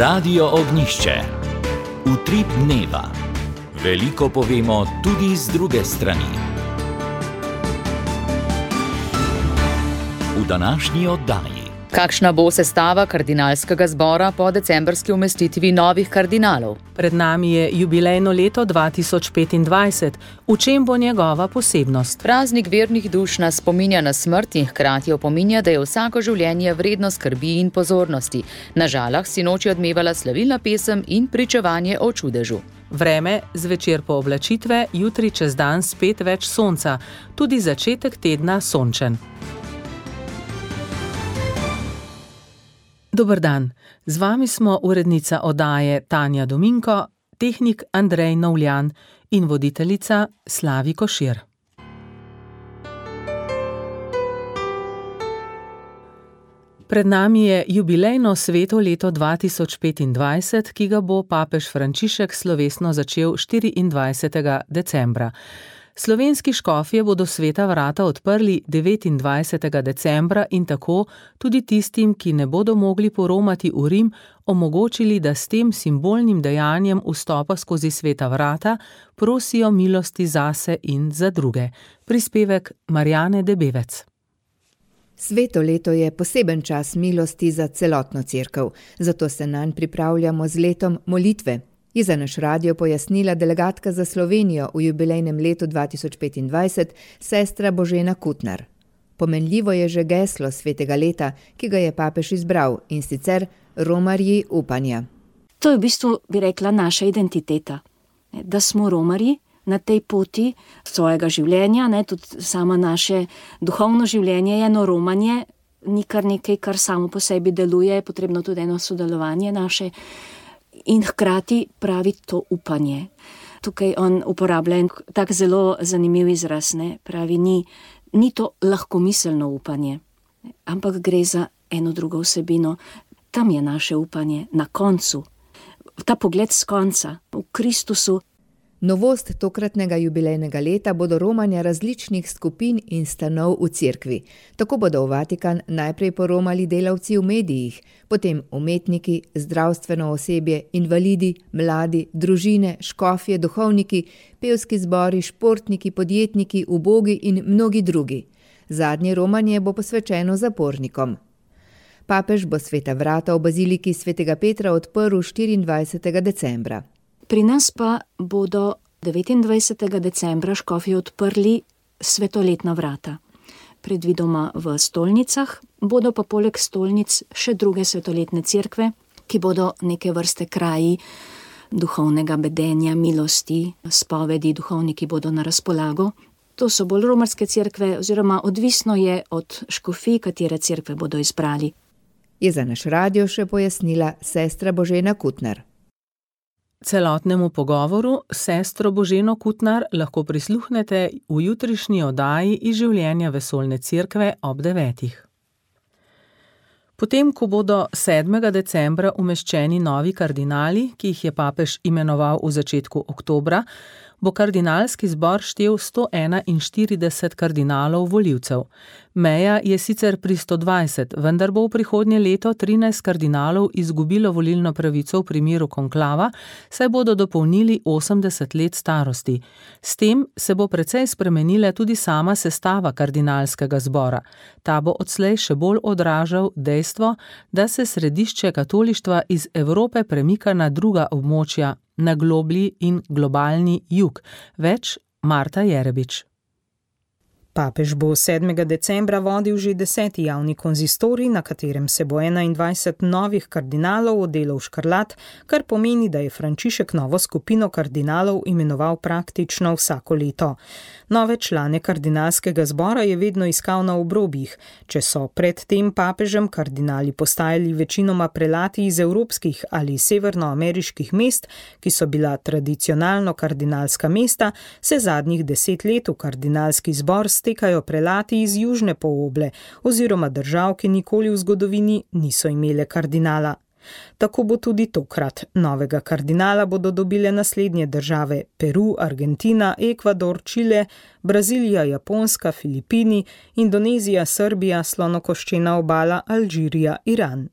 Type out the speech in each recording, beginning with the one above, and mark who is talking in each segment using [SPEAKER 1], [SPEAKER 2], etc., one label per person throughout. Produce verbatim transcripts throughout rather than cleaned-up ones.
[SPEAKER 1] Radio Ognjišče. Utrip dneva. Veliko povemo tudi z druge strani. V današnji oddaji.
[SPEAKER 2] Kakšna bo sestava kardinalskega zbora po decembrski umestitvi novih kardinalov?
[SPEAKER 3] Pred nami je jubilejno leto dva tisoč petindvajset. V čem bo njegova posebnost?
[SPEAKER 2] Praznik vernih duš nas spominja na smrt in hkrati opominja, da je vsako življenje vredno skrbi in pozornosti. Na Žalah sinoči odmevala slavilna pesem in pričevanje o čudežu.
[SPEAKER 3] Vreme, zvečer po oblačitve, jutri čez dan spet več sonca. Tudi začetek tedna sončen. Dober dan, z vami smo urednica oddaje Tanja Dominko, tehnik Andrej Novljan in voditeljica Slavi Košir. Pred nami je jubilejno sveto leto dva tisoč petindvajset, ki ga bo papež Frančišek slovesno začel štiriindvajsetega decembra. Slovenski škofje bodo sveta vrata odprli devetindvajsetega decembra in tako tudi tistim, ki ne bodo mogli poromati v Rim, omogočili, da s tem simbolnim dejanjem vstopa skozi sveta vrata prosijo milosti zase in za druge. Prispevek Marjane Debevec.
[SPEAKER 4] Sveto leto je poseben čas milosti za celotno cerkev, zato se nanj pripravljamo z letom molitve. Je za naš radio pojasnila delegatka za Slovenijo v jubilejnem letu dva tisoč petindvajset, sestra Božena Kutnar. Pomenljivo je že geslo svetega leta, ki ga je papež izbral, in sicer romarji upanja.
[SPEAKER 5] To je v bistvu, bi rekla, naša identiteta. Da smo romarji na tej poti svojega življenja, ne, tudi samo naše duhovno življenje je eno romanje, ni kar nekaj, kar samo po sebi deluje, je potrebno tudi eno sodelovanje naše. In hkrati pravi to upanje. Tukaj on uporablja en tak zelo zanimiv izraz, ne? Pravi, ni, ni to lahkomiselno upanje, ampak gre za eno drugo vsebino. Tam je naše upanje, na koncu. Ta pogled z konca, v Kristusu.
[SPEAKER 4] Novost tokratnega jubilejnega leta bodo romanja različnih skupin in stanov v cerkvi. Tako bodo v Vatikan najprej poromali delavci v medijih, potem umetniki, zdravstveno osebje, invalidi, mladi, družine, škofje, duhovniki, pevski zbori, športniki, podjetniki, ubogi in mnogi drugi. Zadnje romanje bo posvečeno zapornikom. Papež bo sveta vrata v baziliki svetega Petra odprl štiriindvajsetega decembra.
[SPEAKER 5] Pri nas pa bodo devetindvajsetega decembra škofje odprli svetoletna vrata. Predvidoma v stolnicah, bodo pa poleg stolnic še druge svetoletne cerkve, ki bodo neke vrste kraji duhovnega bedenja, milosti, spovedi, duhovniki bodo na razpolago. To so bolj romarske cerkve, oziroma odvisno je od škofij, katere cerkve bodo izbrali.
[SPEAKER 4] Je za naš radio še pojasnila sestra Božena Kutnar.
[SPEAKER 3] Celotnemu pogovoru s sestro Boženo Kutnar lahko prisluhnete v jutrišnji oddaji iz življenja vesoljne cerkve ob devetih. Potem, ko bodo sedmega decembra umeščeni novi kardinali, ki jih je papež imenoval v začetku oktobra, bo kardinalski zbor štel sto enainštirideset kardinalov volivcev. Meja je sicer pri sto dvajset, vendar bo v prihodnje leto trinajst kardinalov izgubilo volilno pravico v primeru konklava, saj bodo dopolnili osemdeset let starosti. S tem se bo precej spremenila tudi sama sestava kardinalskega zbora. Ta bo odslej še bolj odražal dejstvo, da se središče katolištva iz Evrope premika na druga območja, na globlji in globalni jug. Več Marta Jerebič.
[SPEAKER 6] Papež bo sedmega decembra vodil že deseti javni konzistorij, na katerem se bo enaindvajset novih kardinalov odelo v škrlat, kar pomeni, da je Frančišek novo skupino kardinalov imenoval praktično vsako leto. Nove člane kardinalskega zbora je vedno iskal na obrobjih. Če so pred tem papežem kardinali postajali večinoma prelati iz evropskih ali severnoameriških mest, ki so bila tradicionalno kardinalska mesta, se zadnjih deset let v kardinalski zbor stekajo prelati iz južne poloble oziroma držav, ki nikoli v zgodovini niso imele kardinala. Tako bo tudi tokrat. Novega kardinala bodo dobile naslednje države: Peru, Argentina, Ekvador, Čile, Brazilija, Japonska, Filipini, Indonezija, Srbija, Slonokoščena obala, Alžirija, Iran.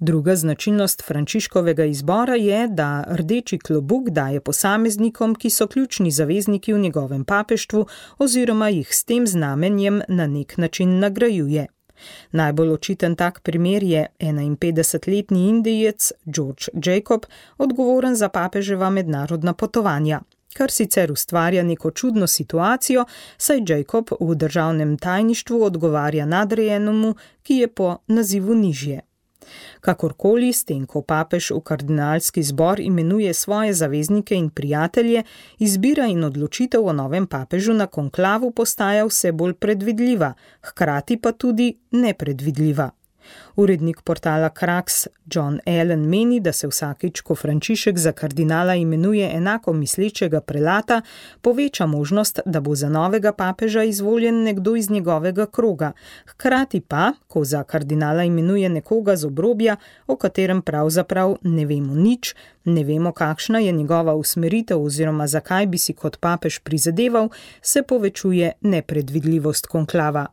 [SPEAKER 6] Druga značilnost Frančiškovega izbora je, da rdeči klobuk daje posameznikom, ki so ključni zavezniki v njegovem papeštvu oziroma jih s tem znamenjem na nek način nagrajuje. Najbolj očiten tak primer je enainpetdesetletni Indijec George Jacob, odgovoren za papeževa mednarodna potovanja. Kar sicer ustvarja neko čudno situacijo, saj Jacob v državnem tajništvu odgovarja nadrejenemu, ki je po nazivu nižje. Kakorkoli, s tem, ko papež v kardinalski zbor imenuje svoje zaveznike in prijatelje, izbira in odločitev o novem papežu na konklavu postaja vse bolj predvidljiva, hkrati pa tudi nepredvidljiva. Urednik portala Krax John Allen meni, da se vsakič, ko Frančišek za kardinala imenuje enako mislečega prelata, poveča možnost, da bo za novega papeža izvoljen nekdo iz njegovega kroga. Hkrati pa, ko za kardinala imenuje nekoga z obrobja, o katerem pravzaprav ne vemo nič, ne vemo, kakšna je njegova usmeritev oziroma zakaj bi si kot papež prizadeval, se povečuje nepredvidljivost konklava.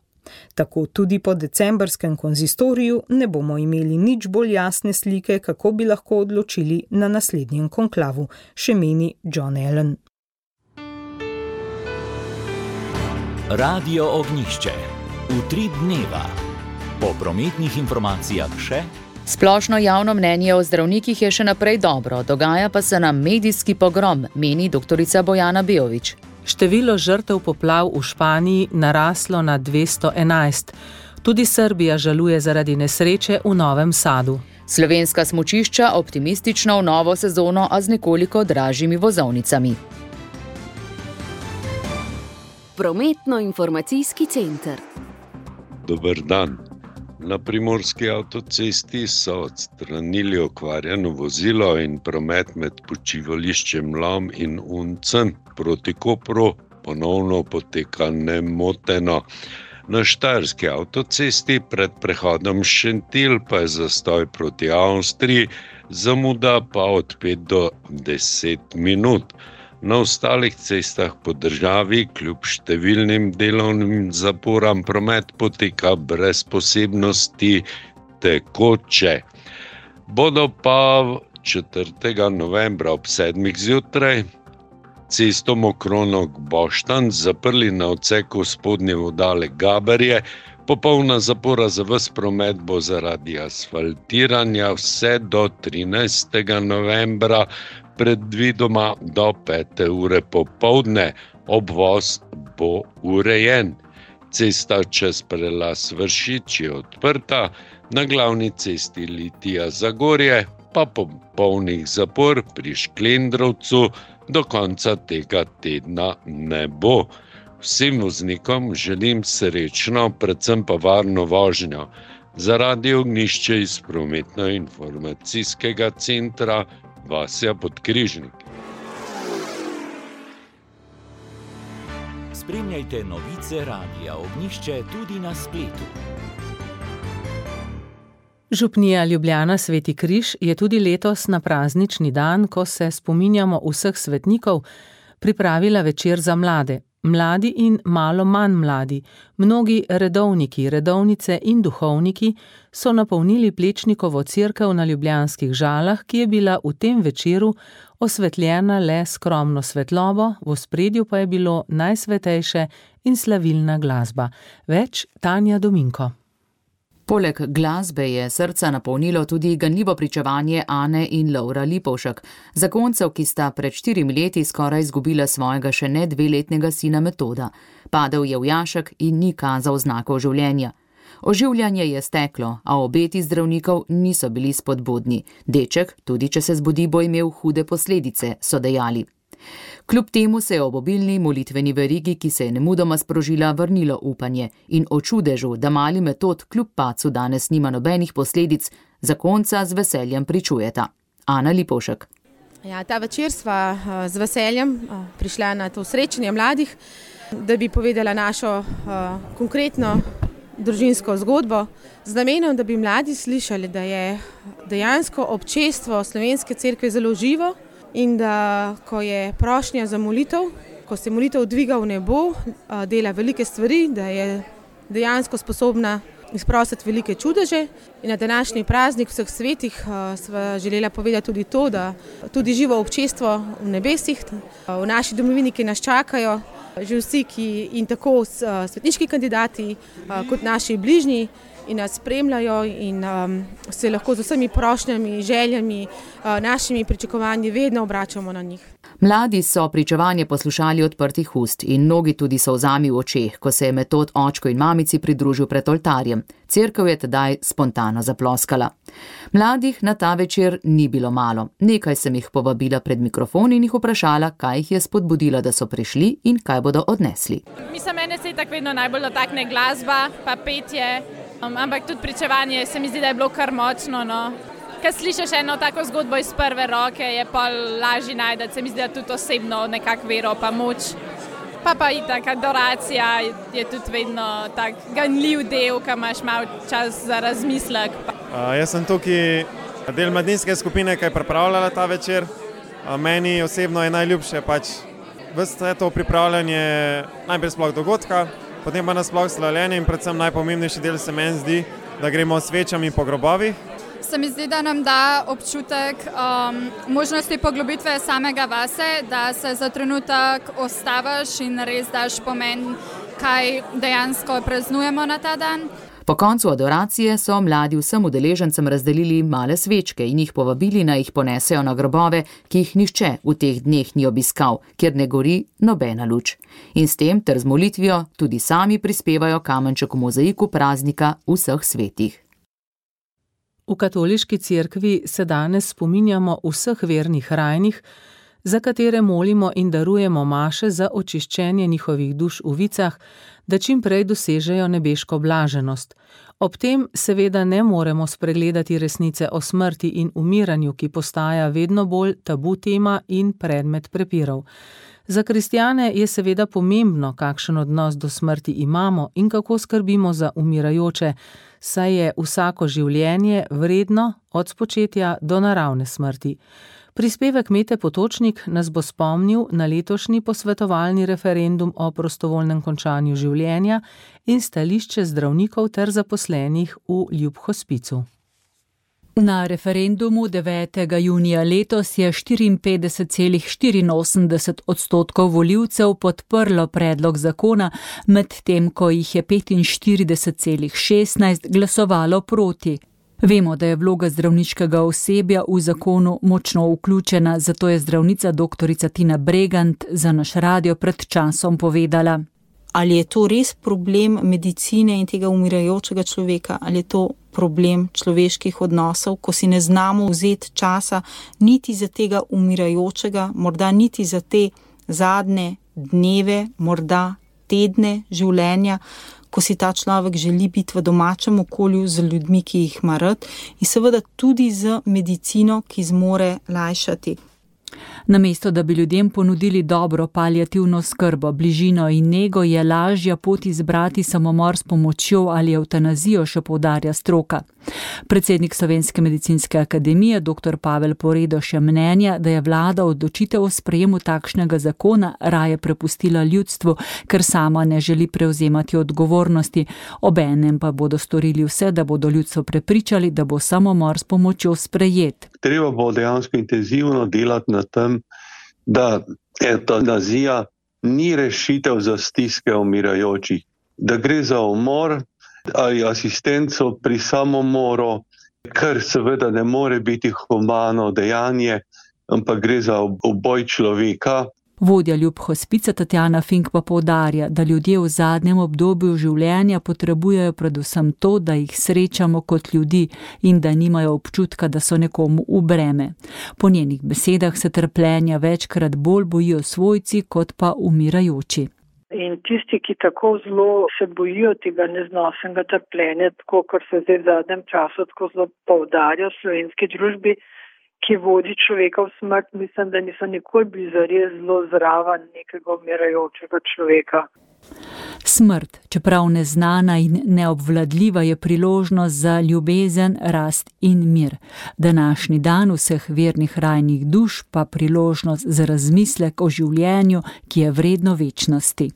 [SPEAKER 6] Tako tudi po decembrskem konzistoriju ne bomo imeli nič bolj jasne slike, kako bi lahko odločili na naslednjem konklavu, še meni John Allen.
[SPEAKER 1] Radio Ognjišče. Utrip dneva. Po prometnih informacijah še...
[SPEAKER 2] Splošno javno mnenje o zdravnikih je še naprej dobro, dogaja pa se nam medijski pogrom, meni doktorica Bojana Beović.
[SPEAKER 3] Število žrtev poplav v Španiji naraslo na dvesto enajst. Tudi Srbija žaluje zaradi nesreče v Novem Sadu.
[SPEAKER 2] Slovenska smučišča optimistično v novo sezono, a z nekoliko dražjimi vozovnicami.
[SPEAKER 7] Prometno-informacijski center.
[SPEAKER 8] Dober dan. Na primorski avtocesti so odstranili okvarjeno vozilo in promet med počivališčem Lom in Uncem proti Kopru ponovno poteka nemoteno. Na štajerski avtocesti pred prehodom Šentilj pa je zastoj proti Avstriji, zamuda pa od pet do deset minut. Na ostalih cestah po državi kljub številnim delovnim zaporam promet poteka brez posebnosti tekoče. Bodo pa četrtega novembra ob sedmih zjutraj cesto Mokronog-Boštanj zaprli na odseku spodnje vodale Gaberje. Popolna zapora za ves promet bo zaradi asfaltiranja vse do trinajstega novembra, predvidoma do pete ure popoldne. Obvoz bo urejen. Cesta čez prelaz Vršič je odprta, na glavni cesti Litija-Zagorje pa popolnih zapor pri Šklendrovcu do konca tega tedna ne bo. Vsem voznikom želim srečno, predvsem pa varno vožnjo. Za Radio Ognjišče iz prometno-informacijskega centra Vasja Podkrižnik.
[SPEAKER 1] Spremljajte novice Radia Ognjišče tudi na spletu.
[SPEAKER 3] Župnija Ljubljana Sveti Križ je tudi letos na praznični dan, ko se spominjamo vseh svetnikov, pripravila večer za mlade. Mladi in malo manj mladi, mnogi redovniki, redovnice in duhovniki so napolnili Plečnikovo cerkev na Ljubljanskih Žalah, ki je bila v tem večeru osvetljena le skromno svetlobo, v ospredju pa je bilo najsvetejše in slavilna glasba. Več Tanja Dominko.
[SPEAKER 2] Poleg glasbe je srca napolnilo tudi ganljivo pričevanje Ane in Lovra Lipovšek, zakoncev, ki sta pred štirimi leti skoraj izgubila svojega še ne dveletnega sina Metoda. Padel je v jašek in ni kazal znakov življenja. Oživljanje je steklo, a obeti zdravnikov niso bili spodbudni. Deček, tudi če se zbudi, bo imel hude posledice, so dejali. Kljub temu se je ob obilni molitveni verigi, ki se je nemudoma sprožila, vrnilo upanje in o čudežu, da mali Metod kljub pacu danes nima nobenih posledic, zakonca z veseljem pričujeta. Ana Lipovšek.
[SPEAKER 9] Ja, ta večer sva z veseljem prišla na to srečanje mladih, da bi povedala našo konkretno družinsko zgodbo, z namenom, da bi mladi slišali, da je dejansko občestvo Slovenske cerkve zelo živo in da, ko je prošnja za molitev, ko se molitev dviga v nebo, dela velike stvari, da je dejansko sposobna izprositi velike čudeže. In na današnji praznik vseh svetih sva želela povedati tudi to, da tudi živo občestvo v nebesih, v naši domovini, ki nas čakajo, že vsi, ki in tako svetniški kandidati kot naši bližnji, in nas spremljajo in um, se lahko z vsemi prošnjami, željami, uh, našimi pričakovanji vedno obračamo na njih.
[SPEAKER 2] Mladi so pričevanje poslušali odprtih ust in mnogi tudi solzami v očeh, ko se je Metod očku in mamici pridružil pred oltarjem. Cerkev je tedaj spontano zaploskala. Mladih na ta večer ni bilo malo. Nekaj sem jih povabila pred mikrofon in jih vprašala, kaj jih je spodbudilo, da so prišli in kaj bodo odnesli.
[SPEAKER 7] Mislim, mene se tako vedno najbolj dotakne glasba, pa petje. Um, ampak tudi pričevanje se mi zdi, da je bilo kar močno. No. Kad slišiš eno tako zgodbo iz prve roke, je pa lažje najdeti, se mi zdi, da tudi osebno nekako vero pa moč. Pa pa itak adoracija je tudi vedno tak ganljiv del, ko imaš malo čas za razmislek.
[SPEAKER 10] Uh, jaz sem tukaj del mladinske skupine, ki je pripravljala ta večer. Uh, meni osebno je najljubše pač vse to pripravljanje najprej sploh dogodka, potem pa nasploh slavljenje in predvsem najpomembnejši del se meni zdi, da gremo s svečami po grobovih.
[SPEAKER 11] Se mi zdi, da nam da občutek um, možnosti poglobitve samega vase, da se za trenutek ostaviš in res daš pomen, kaj dejansko praznujemo na ta dan.
[SPEAKER 2] Po koncu adoracije so mladi vsem udeležencem razdelili male svečke in jih povabili, naj jih ponesejo na grobove, ki jih nihče v teh dneh ni obiskal, kjer ne gori nobena luč. In s tem ter z molitvijo tudi sami prispevajo kamenček v mozaiku praznika vseh svetih.
[SPEAKER 3] V katoliški cerkvi se danes spominjamo vseh vernih rajnih, za katere molimo in darujemo maše za očiščenje njihovih duš v vicah, da čim prej dosežejo nebeško blaženost. Ob tem seveda ne moremo spregledati resnice o smrti in umiranju, ki postaja vedno bolj tabu tema in predmet prepirov. Za kristjane je seveda pomembno, kakšen odnos do smrti imamo in kako skrbimo za umirajoče, saj je vsako življenje vredno od spočetja do naravne smrti. Prispevek Mete Potočnik nas bo spomnil na letošnji posvetovalni referendum o prostovoljnem končanju življenja in stališče zdravnikov ter zaposlenih v Ljubhospicu.
[SPEAKER 12] Na referendumu devetega junija letos je štiriinpetdeset celih štiriinosemdeset odstotkov volivcev podprlo predlog zakona, medtem ko jih je petinštirideset celih šestnajst glasovalo proti. Vemo, da je vloga zdravniškega osebja v zakonu močno vključena, zato je zdravnica doktorica Tina Bregant za naš radio pred časom povedala.
[SPEAKER 13] Ali je to res problem medicine in tega umirajočega človeka, ali je to problem človeških odnosov, ko si ne znamo vzeti časa niti za tega umirajočega, morda niti za te zadnje dneve, morda tedne življenja, ko si ta človek želi biti v domačem okolju z ljudmi, ki jih ima rad, in seveda tudi z medicino, ki zmore lajšati.
[SPEAKER 12] Namesto, da bi ljudem ponudili dobro paliativno skrbo, bližino in nego, je lažja pot izbrati samomor s pomočjo ali evtanazijo, še poudarja stroka. Predsednik Slovenske medicinske akademije dr. Pavel Poredoš je mnenja, da je vlada odločitev o sprejemu takšnega zakona raje prepustila ljudstvu, ker sama ne želi prevzemati odgovornosti. Obenem pa bodo storili vse, da bodo ljudstvo prepričali, da bo samomor s pomočjo sprejet.
[SPEAKER 8] Treba bo dejansko intenzivno delati na tem, da evtanazija ni rešitev za stiske umirajočih, da gre za umor ali asistenco pri samomoru, kar seveda ne more biti humano dejanje, ampak gre za uboj človeka.
[SPEAKER 12] Vodja Ljubhospica Tatjana Fink pa poudarja, da ljudje v zadnjem obdobju življenja potrebujejo predvsem to, da jih srečamo kot ljudi in da nimajo občutka, da so nekomu v breme. Po njenih besedah se trpljenja večkrat bolj bojijo svojci kot pa umirajoči.
[SPEAKER 14] In tisti, ki tako zelo se bojijo tega neznosnega trpljenja, tako kot se zdaj v zadnjem času tako zelo poudarja v slovenski družbi, ki vodi človeka v smrt, mislim, da niso nikoli bili zares zelo zraven nekega umirajočega človeka.
[SPEAKER 12] Smrt, čeprav neznana in neobvladljiva, je priložnost za ljubezen, rast in mir. Današnji dan vseh vernih rajnih duš pa priložnost za razmislek o življenju, ki je vredno večnosti.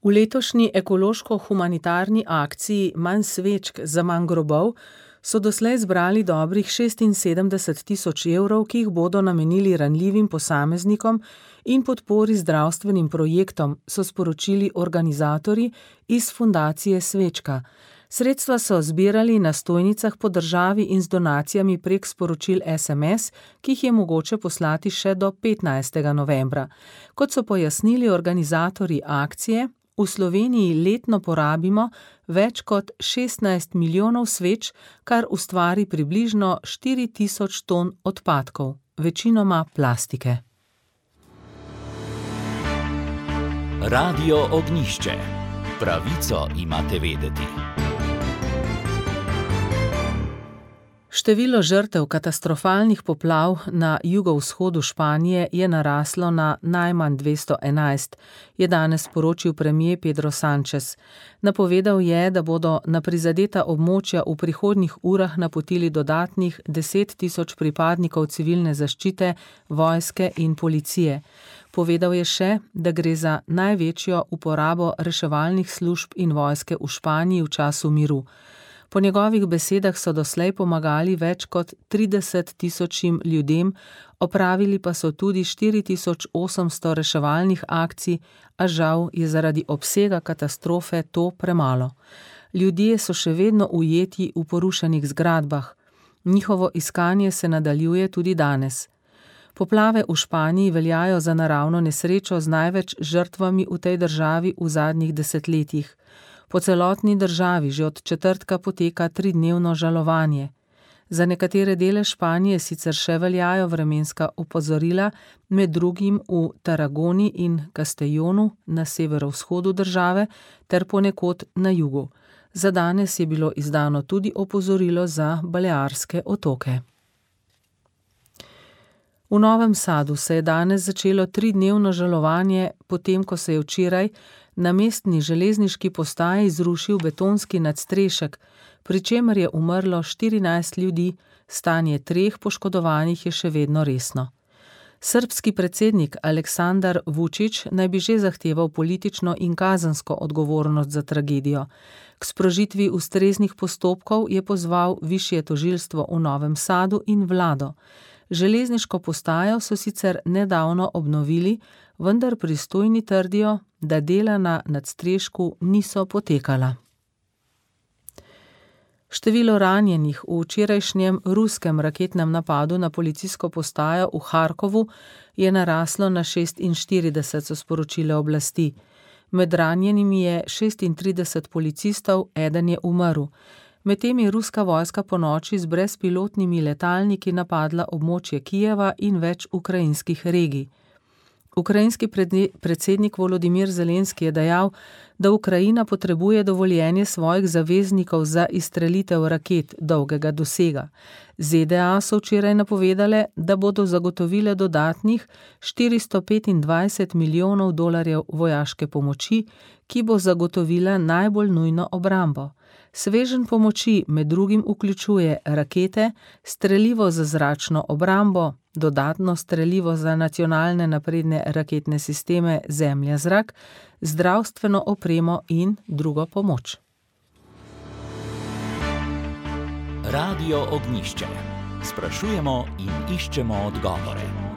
[SPEAKER 3] V letošnji ekološko-humanitarni akciji Manj svečk za manj grobov so doslej zbrali dobrih šestinsedemdeset tisoč evrov, ki jih bodo namenili ranljivim posameznikom in podpori zdravstvenim projektom, so sporočili organizatorji iz Fundacije Svečka. Sredstva so zbirali na stojnicah po državi in z donacijami prek sporočil es em es, ki jih je mogoče poslati še do petnajstega novembra. Kot so pojasnili organizatorji akcije, v Sloveniji letno porabimo več kot šestnajst milijonov sveč, kar ustvari približno štiri tisoč ton odpadkov, večinoma plastike.
[SPEAKER 1] Radio Ognjišče. Pravico imate vedeti.
[SPEAKER 3] Število žrtev katastrofalnih poplav na jugovzhodu Španije je naraslo na najmanj dvesto enajst, je danes sporočil premier Pedro Sánchez. Napovedal je, da bodo na prizadeta območja v prihodnjih urah napotili dodatnih deset tisoč pripadnikov civilne zaščite, vojske in policije. Povedal je še, da gre za največjo uporabo reševalnih služb in vojske v Španiji v času miru. Po njegovih besedah so doslej pomagali več kot trideset tisočim ljudem, opravili pa so tudi štiri tisoč osemsto reševalnih akcij, a žal je zaradi obsega katastrofe to premalo. Ljudje so še vedno ujeti v porušenih zgradbah. Njihovo iskanje se nadaljuje tudi danes. Poplave v Španiji veljajo za naravno nesrečo z največ žrtvami v tej državi v zadnjih desetletjih. Po celotni državi že od četrtka poteka tridnevno žalovanje. Za nekatere dele Španije sicer še veljajo vremenska opozorila, med drugim v Tarragoni in Castellonu na severovzhodu države ter ponekod na jugu. Za danes je bilo izdano tudi opozorilo za Balearske otoke. V Novem Sadu se je danes začelo tridnevno žalovanje, potem ko se je včeraj na mestni železniški postaji zrušil betonski nadstrešek, pri čemer je umrlo štirinajst ljudi, stanje treh poškodovanih je še vedno resno. Srbski predsednik Aleksandar Vučić naj bi že zahteval politično in kazensko odgovornost za tragedijo. K sprožitvi ustreznih postopkov je pozval višje tožilstvo v Novem Sadu in vlado. Železniško postajo so sicer nedavno obnovili, vendar pristojni trdijo, da dela na nadstrešku niso potekala. Število ranjenih v včerajšnjem ruskem raketnem napadu na policijsko postajo v Harkovu je naraslo na šestinštirideset, so sporočile oblasti. Med ranjenimi je šestintrideset policistov, eden je umrl. Medtem je ruska vojska ponoči z brezpilotnimi letalniki napadla območje Kijeva in več ukrajinskih regij. Ukrajinski predsednik Volodimir Zelenski je dejal, da Ukrajina potrebuje dovoljenje svojih zaveznikov za izstrelitev raket dolgega dosega. ZDA so včeraj napovedale, da bodo zagotovile dodatnih štiristo petindvajset milijonov dolarjev vojaške pomoči, ki bo zagotovila najbolj nujno obrambo. Sveženj pomoči med drugim vključuje rakete, strelivo za zračno obrambo, dodatno strelivo za nacionalne napredne raketne sisteme zemlja-zrak, zdravstveno opremo in drugo pomoč.
[SPEAKER 1] Radio Ognjišče. Sprašujemo in iščemo odgovore.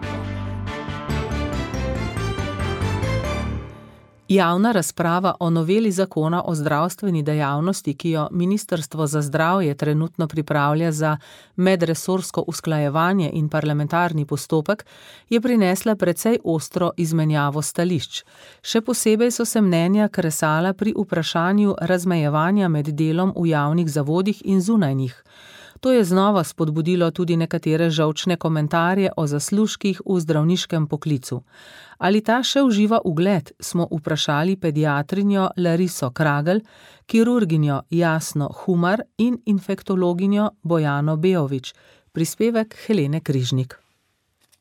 [SPEAKER 3] Javna razprava o noveli zakona o zdravstveni dejavnosti, ki jo Ministrstvo za zdravje trenutno pripravlja za medresorsko usklajevanje in parlamentarni postopek, je prinesla precej ostro izmenjavo stališč. Še posebej so se mnenja kresala pri vprašanju razmejevanja med delom v javnih zavodih in zunaj njih. To je znova spodbudilo tudi nekatere žolčne komentarje o zaslužkih v zdravniškem poklicu. Ali ta še uživa ugled, smo vprašali pediatrinjo Lariso Kragel, kirurginjo Jasno Humar in infektologinjo Bojano Beović. Prispevek Helene Križnik.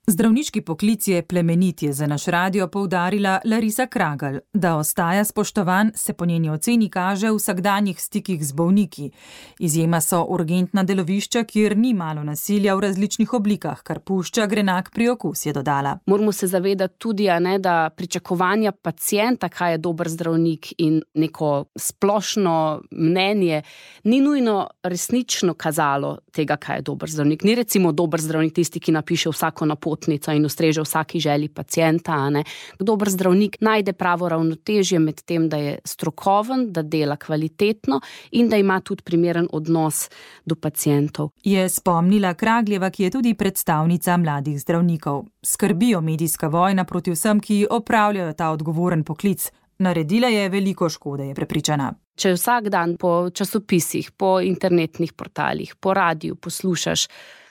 [SPEAKER 2] Zdravniški poklic je plemenit, je za naš radio poudarila Larisa Kragelj. Da ostaja spoštovan, se po njeni oceni kaže v vsakdanjih stikih z bolniki. Izjema so urgentna delovišča, kjer ni malo nasilja v različnih oblikah, kar pušča grenak priokus, je dodala.
[SPEAKER 15] Moramo se zavedati tudi, a ne, da pričakovanja pacienta, kaj je dober zdravnik, in neko splošno mnenje ni nujno resnično kazalo tega, kaj je dober zdravnik. Ni recimo dober zdravnik tisti, ki napiše vsako napotnico in ustreže vsaki želji pacienta. A ne. Dober zdravnik najde pravo ravnotežje med tem, da je strokoven, da dela kvalitetno in da ima tudi primeren odnos do pacientov.
[SPEAKER 2] Je spomnila Kragljeva, ki je tudi predstavnica mladih zdravnikov. Skrbijo medijska vojna proti vsem, ki opravljajo ta odgovoren poklic. Naredila je veliko škode, je prepričana.
[SPEAKER 15] Če vsak dan po časopisih, po internetnih portalih, po radiju poslušaš,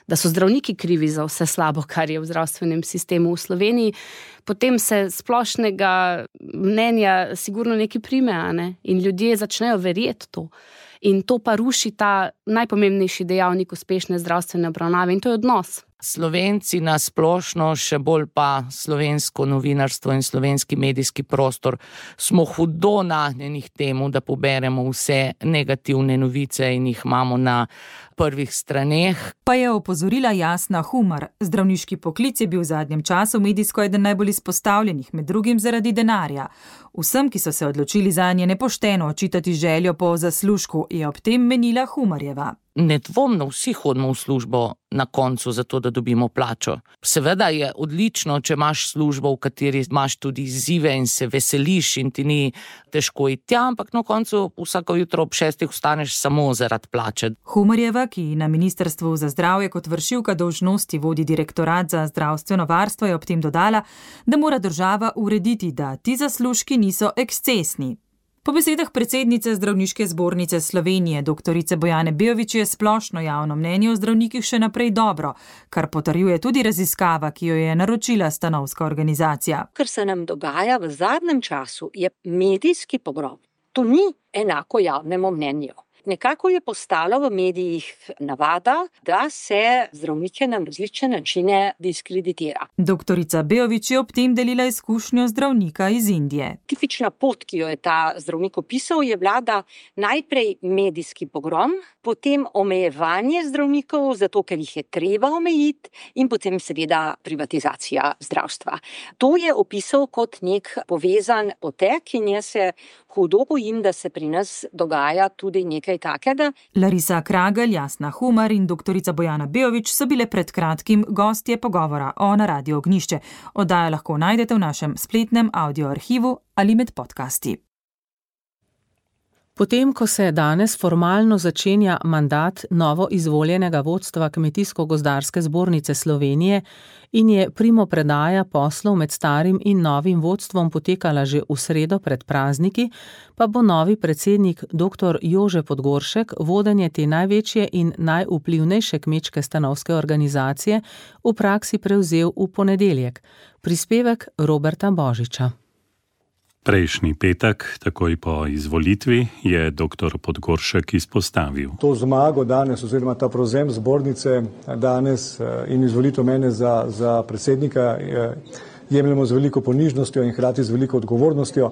[SPEAKER 15] da so zdravniki krivi za vse slabo, kar je v zdravstvenem sistemu v Sloveniji, potem se splošnega mnenja sigurno nekaj prime, a ne? In ljudje začnejo verjeti to. In to pa ruši ta najpomembnejši dejavnik uspešne zdravstvene obravnave, in to je odnos.
[SPEAKER 16] Slovenci na splošno, še bolj pa slovensko novinarstvo in slovenski medijski prostor, smo hudo nagnjeni k temu, da poberemo vse negativne novice in jih imamo na prvih straneh.
[SPEAKER 2] Pa je opozorila Jasna Humar. Zdravniški poklic je bil v zadnjem času medijsko eden najbolj izpostavljenih, med drugim zaradi denarja. Vsem, ki so se odločili zanje, nepošteno očitati željo po zaslužku, je ob tem menila Humarjeva.
[SPEAKER 16] Nedvomno vsi hodimo v službo na koncu zato, da dobimo plačo. Seveda je odlično, če imaš službo, v kateri imaš tudi izzive in se veseliš in ti ni težko iti tja, ampak na koncu vsako jutro ob šestih vstaneš samo zaradi plače.
[SPEAKER 2] Humarjeva, ki na Ministrstvu za zdravje kot vršilka dolžnosti vodi Direktorat za zdravstveno varstvo, je ob tem dodala, da mora država urediti, da ti zaslužki niso ekscesni. Po besedah predsednice Zdravniške zbornice Slovenije, doktorice Bojane Beović, je splošno javno mnenje o zdravnikih še naprej dobro, kar potrjuje tudi raziskava, ki jo je naročila stanovska organizacija.
[SPEAKER 17] Kar se nam dogaja v zadnjem času, je medijski pogrom. To ni enako javnemu mnenju. Nekako je postalo v medijih navada, da se zdravnike na različne načine diskreditira.
[SPEAKER 2] Doktorica Beović je ob tem delila izkušnjo zdravnika iz Indije.
[SPEAKER 17] Tipična pot, ki jo je ta zdravnik opisal, je vlada najprej medijski pogrom, potem omejevanje zdravnikov, zato ker jih je treba omejiti, in potem seveda privatizacija zdravstva. To je opisal kot nek povezan potek in jaz se hudo bojim, da se pri nas dogaja tudi nekaj takega.
[SPEAKER 2] Larisa Kragelj, Jasna Humar in doktorica Bojana Beović so bile pred kratkim gostje pogovora o Na Radio Ognjišče. Oddajo lahko najdete v našem spletnem audio arhivu ali med podcasti.
[SPEAKER 3] Potem, ko se danes formalno začenja mandat novo izvoljenega vodstva Kmetijsko-gozdarske zbornice Slovenije in je primopredaja poslov med starim in novim vodstvom potekala že v sredo pred prazniki, pa bo novi predsednik dr. Jože Podgoršek vodenje te največje in najvplivnejše kmečke stanovske organizacije v praksi prevzel v ponedeljek. Prispevek Roberta Božiča.
[SPEAKER 18] Prejšnji petek, takoj po izvolitvi, je dr. Podgoršek izpostavil.
[SPEAKER 19] To zmago danes, oziroma ta prevzem zbornice danes in izvolitev mene za, za predsednika jemljemo z veliko ponižnostjo in hkrati z veliko odgovornostjo.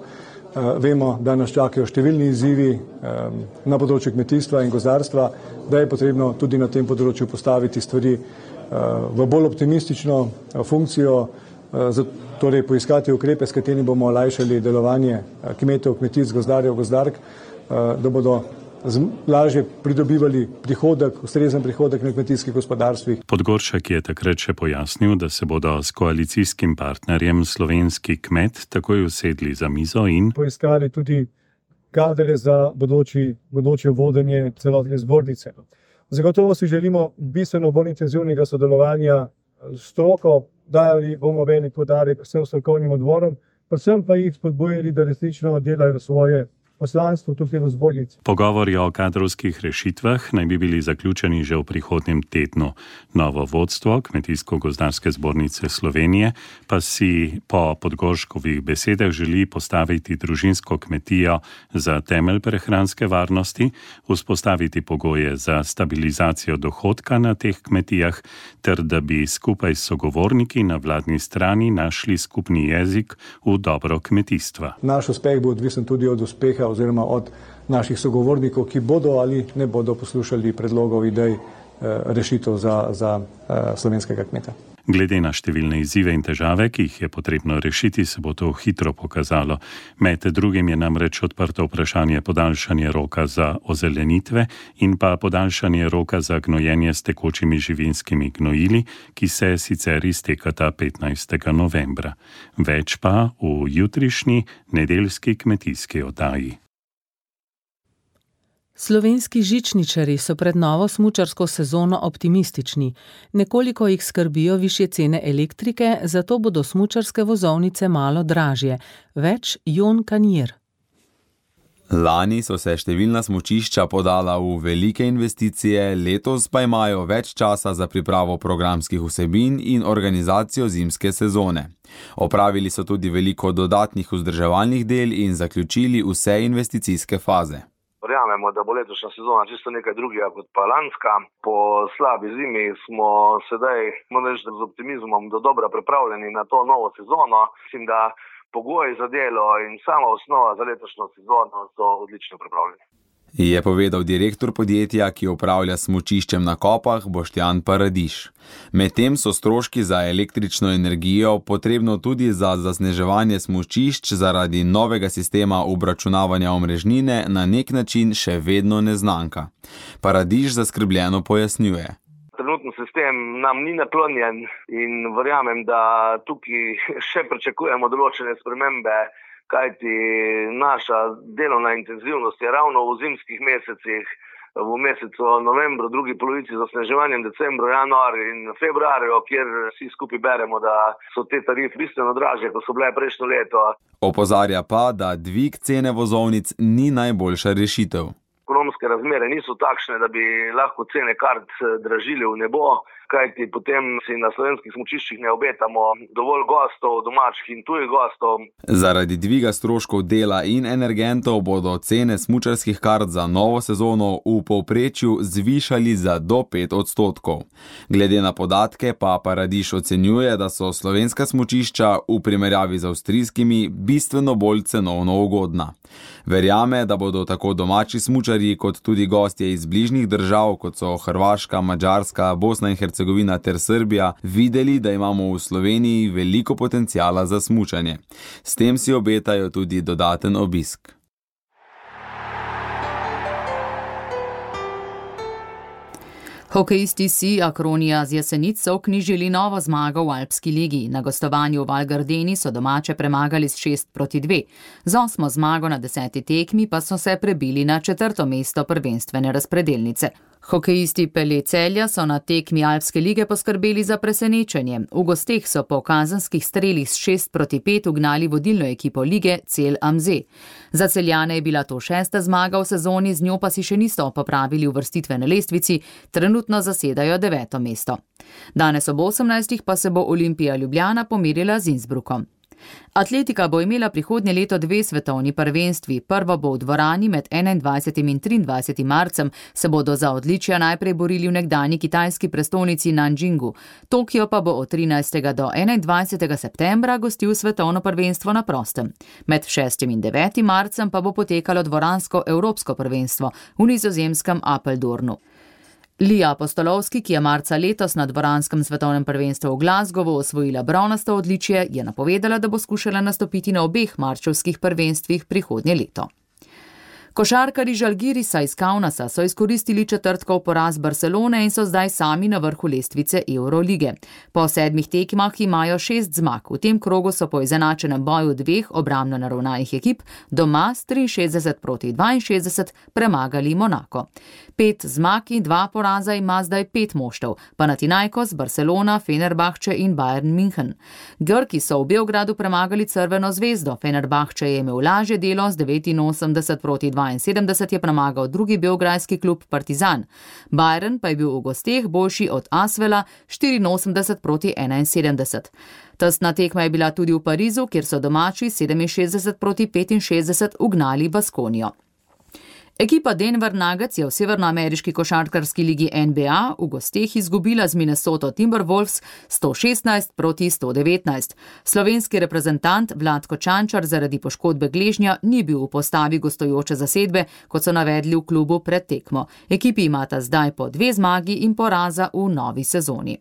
[SPEAKER 19] Vemo, da nas čakajo številni izzivi na področju kmetijstva in gozdarstva, da je potrebno tudi na tem področju postaviti stvari v bolj optimistično funkcijo, torej poiskati ukrepe, s katerimi bomo olajšali delovanje kmetov, kmetic, gozdarjev, gozdark, da bodo lažje pridobivali prihodek, ustrezen prihodek na kmetijskih gospodarstvih.
[SPEAKER 18] Podgoršek je takrat še pojasnil, da se bodo s koalicijskim partnerjem Slovenski kmet takoj usedli za mizo in
[SPEAKER 19] poiskali tudi kadre za bodoči, bodoče vodenje celotne zbornice. Zagotovo si želimo bistveno bolj intenzivnega sodelovanja s stroko, dajali bomo velik poudarek vsem strokovnim odborom, predvsem pa jih spodbujali, da resnično delajo svoje poslanstvo tukaj v zbornici.
[SPEAKER 18] Pogovori o kadrovskih rešitvah naj bi bili zaključeni že v prihodnjem tednu. Novo vodstvo Kmetijsko-gozdarske zbornice Slovenije pa si po Podgorškovih besedah želi postaviti družinsko kmetijo za temelj prehranske varnosti, vzpostaviti pogoje za stabilizacijo dohodka na teh kmetijah, ter da bi skupaj s sogovorniki na vladni strani našli skupni jezik v dobro kmetijstva.
[SPEAKER 19] Naš uspeh bo odvisen tudi od uspeha oziroma od naših sogovornikov, ki bodo ali ne bodo poslušali predlogov, idej, rešitev za, za slovenskega kmeta.
[SPEAKER 18] Glede na številne izzive in težave, ki jih je potrebno rešiti, se bo to hitro pokazalo. Med drugim je namreč odprto vprašanje podaljšanja roka za ozelenitve in pa podaljšanje roka za gnojenje s tekočimi živinskimi gnojili, ki se sicer iztekata petnajstega novembra. Več pa v jutrišnji nedeljski kmetijski oddaji.
[SPEAKER 3] Slovenski žičničarji so pred novo smučarsko sezono optimistični. Nekoliko jih skrbijo višje cene elektrike, zato bodo smučarske vozovnice malo dražje. Več Jon Kanjer.
[SPEAKER 20] Lani so se številna smučišča podala v velike investicije, letos pa imajo več časa za pripravo programskih vsebin in organizacijo zimske sezone. Opravili so tudi veliko dodatnih vzdrževalnih del in zaključili vse investicijske faze.
[SPEAKER 21] Verjamemo, da bo letošnja sezona čisto nekaj drugega kot pa lanska. Po slabi zimi smo sedaj, moram reči, z optimizmom do dobra pripravljeni na to novo sezono. Mislim, da pogoji za delo in sama osnova za letošnjo sezono so odlično pripravljeni.
[SPEAKER 20] Je povedal direktor podjetja, ki upravlja smučiščem na Kopah, Boštjan Paradiž. Medtem so stroški za električno energijo potrebno tudi za zasneževanje smučišč zaradi novega sistema obračunavanja omrežnine na nek način še vedno neznanka. Paradiž zaskrbljeno pojasnjuje.
[SPEAKER 21] Trenutni sistem nam ni naklonjen in verjamem, da tukaj še pričakujemo določene spremembe, kajti naša delovna intenzivnost je ravno v zimskih mesecih, v mesecu novembru, drugi polovici z osneževanjem, decembru, januarju in februarju, kjer vsi skupaj beremo, da so te tarife bistveno dražje, kot so bile prejšnjo leto.
[SPEAKER 20] Opozarja pa, da dvig cene vozovnic ni najboljša rešitev.
[SPEAKER 21] Ekonomske razmere niso takšne, da bi lahko cene kart dražili v nebo, kajti potem si na slovenskih smučiščih ne obetamo dovolj gostov, domačih in tujih gostov.
[SPEAKER 20] Zaradi dviga stroškov dela in energentov bodo cene smučarskih kart za novo sezono v povprečju zvišali za do pet odstotkov. Glede na podatke pa Paradiž ocenjuje, da so slovenska smučišča v primerjavi z avstrijskimi bistveno bolj cenovno ugodna. Verjame, da bodo tako domači smučarji kot tudi gostje iz bližnjih držav, kot so Hrvaška, Madžarska, Bosna in Hercegovina ter Srbija, videli, da imamo v Sloveniji veliko potencijala za smučanje. S tem si obetajo tudi dodaten obisk.
[SPEAKER 2] Hokejisti si Akronija z Jesenic so vknjižili novo zmago v Alpski ligi. Na gostovanju v Val Gardeni so domače premagali s šest proti dve. Z osmo zmago na deseti tekmi pa so se prebili na četrto mesto prvenstvene razpredelnice. Hokejisti Pelje Celja so na tekmi Alpske lige poskrbeli za presenečenje. V gosteh so po kazenskih strelih s šest proti pet ugnali vodilno ekipo lige Cel Amze. Za Celjane je bila to šesta zmaga v sezoni, z njo pa si še niso popravili uvrstitve na lestvici, trenutno zasedajo deveto mesto. Danes ob osemnajstih pa se bo Olimpija Ljubljana pomerila z Innsbruckom. Atletika bo imela prihodnje leto dve svetovni prvenstvi. Prvo bo v dvorani med enaindvajsetim in triindvajsetim marcem, se bodo za odličja najprej borili v nekdanji kitajski prestolnici Nanjingu. Tokio pa bo od trinajstega do enaindvajsetega septembra gostil svetovno prvenstvo na prostem. Med šestim in devetim marcem pa bo potekalo dvoransko evropsko prvenstvo v nizozemskem Apeldoornu. Lija Apostolovski, ki je marca letos na dvoranskem svetovnem prvenstvu v Glasgowu osvojila bronasto odličje, je napovedala, da bo skušala nastopiti na obeh marčevskih prvenstvih prihodnje leto. Košarkarji Žalgirisa iz Kaunasa so izkoristili četrtkov poraz Barcelone in so zdaj sami na vrhu lestvice Eurolige. Po sedmih tekmah imajo šest zmag. V tem krogu so po izenačenem boju dveh obrambno naravnanih ekip doma s triinšestdeset proti dvainšestdeset premagali Monako. Pet zmag in dva poraza ima zdaj pet moštev, Panathinaikos, Barcelona, Fenerbahče in Bayern München. Grki so v Beogradu premagali Crveno zvezdo. Fenerbahče je imel lažje delo, z devetinosemdeset proti dvainsedemdeset je premagal drugi beograjski klub Partizan. Bayern pa je bil v gosteh boljši od Asvela štiriinosemdeset proti enainsedemdeset. Tesna tekma je bila tudi v Parizu, kjer so domači sedeminšestdeset proti petinšestdeset ugnali Baskonijo. Ekipa Denver Nuggets je v severnoameriški košarkarski ligi N B A v gosteh izgubila z Minnesota Timberwolves sto šestnajst proti sto devetnajst. Slovenski reprezentant Vlatko Čančar zaradi poškodbe gležnja ni bil v postavi gostujoče zasedbe, kot so navedli v klubu pred tekmo. Ekipi imata zdaj po dve zmagi in poraza v novi sezoni.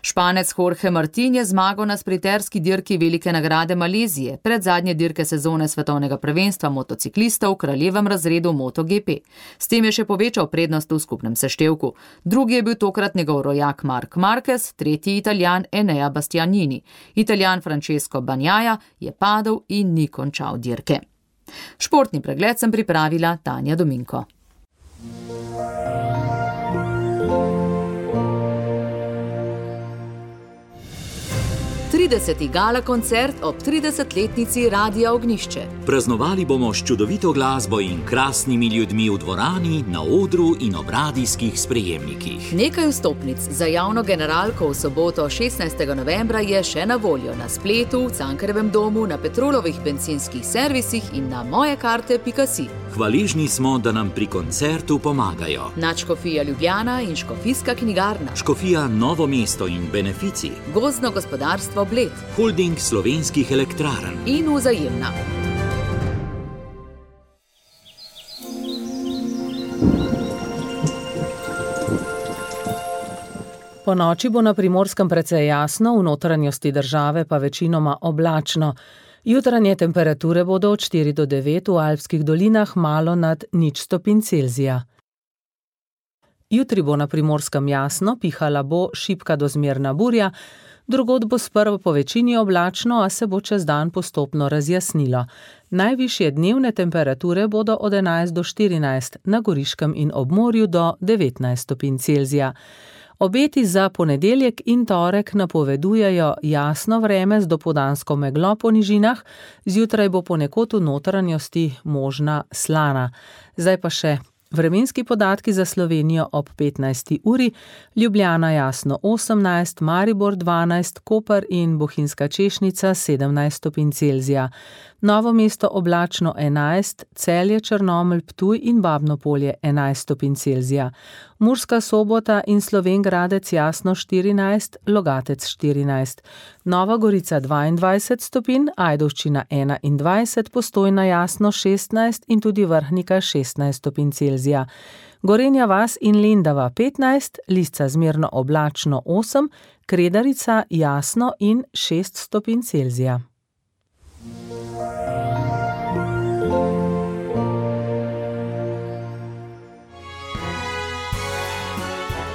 [SPEAKER 2] Španec Jorge Martin je zmagal na sprinterski dirki Velike nagrade Malezije, pred zadnje dirke sezone svetovnega prvenstva motociklistov v kraljevem razredu MotoGP. S tem je še povečal prednost v skupnem seštevku. Drugi je bil tokrat njegov rojak Marc Marquez, tretji Italijan Enea Bastianini. Italijan Francesco Bagnaia je padel in ni končal dirke. Športni pregled sem pripravila Tanja Dominko. trideseti gala koncert ob tridesetletnici Radia Ognjišče.
[SPEAKER 1] Praznovali bomo s čudovito glasbo in krasnimi ljudmi v dvorani, na odru in ob radijskih sprejemnikih.
[SPEAKER 2] Nekaj vstopnic za javno generalko v soboto šestnajstega novembra je še na voljo na spletu, v Cankarjevem domu, na Petrolovih bencinskih servisih in na mojekarte pika si.
[SPEAKER 1] Hvaležni smo, da nam pri koncertu pomagajo
[SPEAKER 2] Nadškofija Ljubljana in Škofijska knjigarna,
[SPEAKER 1] Škofija Novo mesto in Benefici,
[SPEAKER 2] Gozdno gospodarstvo Bled,
[SPEAKER 1] Holding slovenskih elektrarn
[SPEAKER 2] in Vzajemna.
[SPEAKER 3] Po noči bo na Primorskem precej jasno, v notranjosti države pa večinoma oblačno. Jutranje temperature bodo od štiri do devet, v alpskih dolinah malo nad nič stopinj Celzija. Jutri bo na Primorskem jasno, pihala bo šibka do zmerna burja, drugod bo sprva po večini oblačno, a se bo čez dan postopno razjasnilo. Najvišje dnevne temperature bodo od enajst do štirinajst, na Goriškem in ob morju do devetnajst stopinj Celzija. Obeti za ponedeljek in torek napovedujejo jasno vreme z dopoldansko meglo po nižinah, zjutraj bo ponekod v notranjosti možna slana. Zdaj pa še vremenski podatki za Slovenijo ob petnajsti uri, Ljubljana jasno osemnajst, Maribor dvanajst, Koper in Bohinjska Češnica sedemnajst stopinj Celzija. Novo mesto oblačno enajst, Celje, Črnomelj, Ptuj in Babno Polje enajst stopinj Celzija. Murska Sobota in Slovenj Gradec jasno štirinajst, Logatec štirinajst. Nova Gorica dvaindvajset stopinj, Ajdovščina enaindvajset, Postojna jasno šestnajst in tudi Vrhnika šestnajst stopinj Celzija. Gorenja vas in Lendava petnajst, Lisca zmerno oblačno osem, Kredarica jasno in šest stopinj Celzija.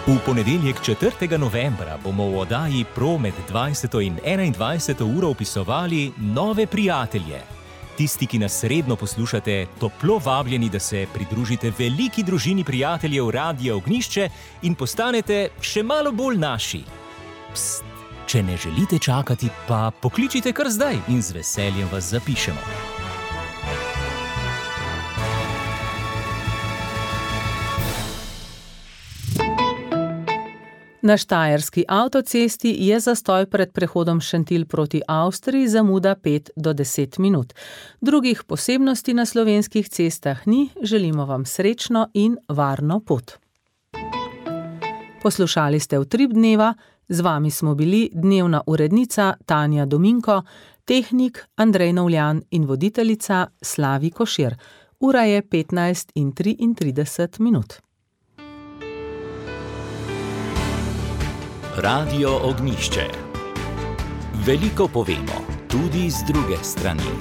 [SPEAKER 5] V ponedeljek četrtega novembra bomo v oddaji Pro med dvajseto in enaindvajseto uro opisovali nove prijatelje. Tisti, ki nas redno poslušate, toplo vabljeni, da se pridružite veliki družini prijateljev Radia Ognjišče in postanete še malo bolj naši. Pst, če ne želite čakati, pa pokličite kar zdaj in z veseljem vas zapišemo.
[SPEAKER 3] Na štajerski avtocesti je zastoj pred prehodom Šentilj proti Avstriji, zamuda pet do deset minut. Drugih posebnosti na slovenskih cestah ni, želimo vam srečno in varno pot. Poslušali ste Utrip dneva, z vami smo bili dnevna urednica Tanja Dominko, tehnik Andrej Novljan in voditeljica Slavi Košir. Ura je petnajst in triintrideset minut.
[SPEAKER 1] Radio Ognjišče. Veliko povemo, tudi z druge strani.